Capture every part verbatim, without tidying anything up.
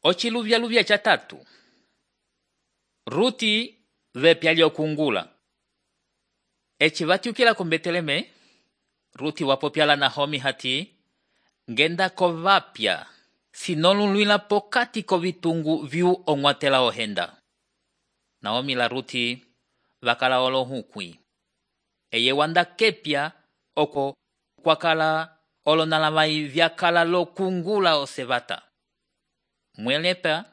Ociluvya-luvya catatu. Ruti vepya lyokungula. Eci vatyukila ko Beteleme, Ruti wapopyala Nahomi hati, ngenda ko vapya, sinolunwila pokati ko vitungu viu omwatela ohenda. Naomi la Ruti vakala olohukwi. Eye wanda kepya oko kwakala olonalavai vyakala lokungula osevata. Mwelepa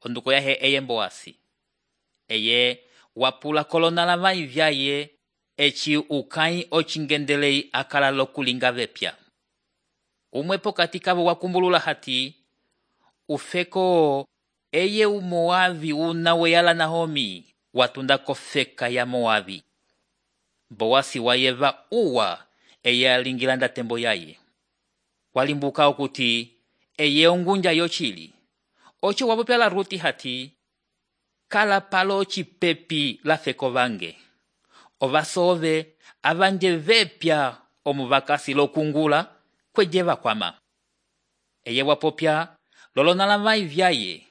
onduko yahe eye Boasi. Eye wapula kolonalavai vyaye eci ukai ochingendelei akala lokulinga vepya. Umwe pokati kavo wakumbulula hati, ufeko eye umoavi una weyala Nahomi watunda kofeka ya Moavi. Boasi wayeva uwa eye alingilanda tembo yaye. Walimbuka okuti eye ongunja yochili. Ocho wapopyala Ruti hati, kala palo chipepi la feko vange. Ovasove avanje vepya omuvakasi lokungula kwejeva kwama. Eye wapopya lolonalavai vyaye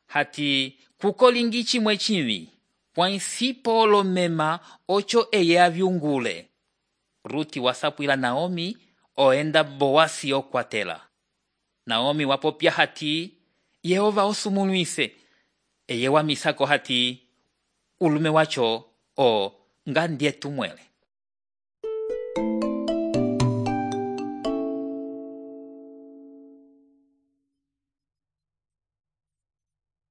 hati kukolingi chimwe chimi kwa insipo olomema ocho eye avyungule. Ruti wasapwila Naomi oenda Boasi okwatela. Naomi wapopya hati Yehova osumulwise. Eye wamisako hati ulume wacho o ngandie tumwele.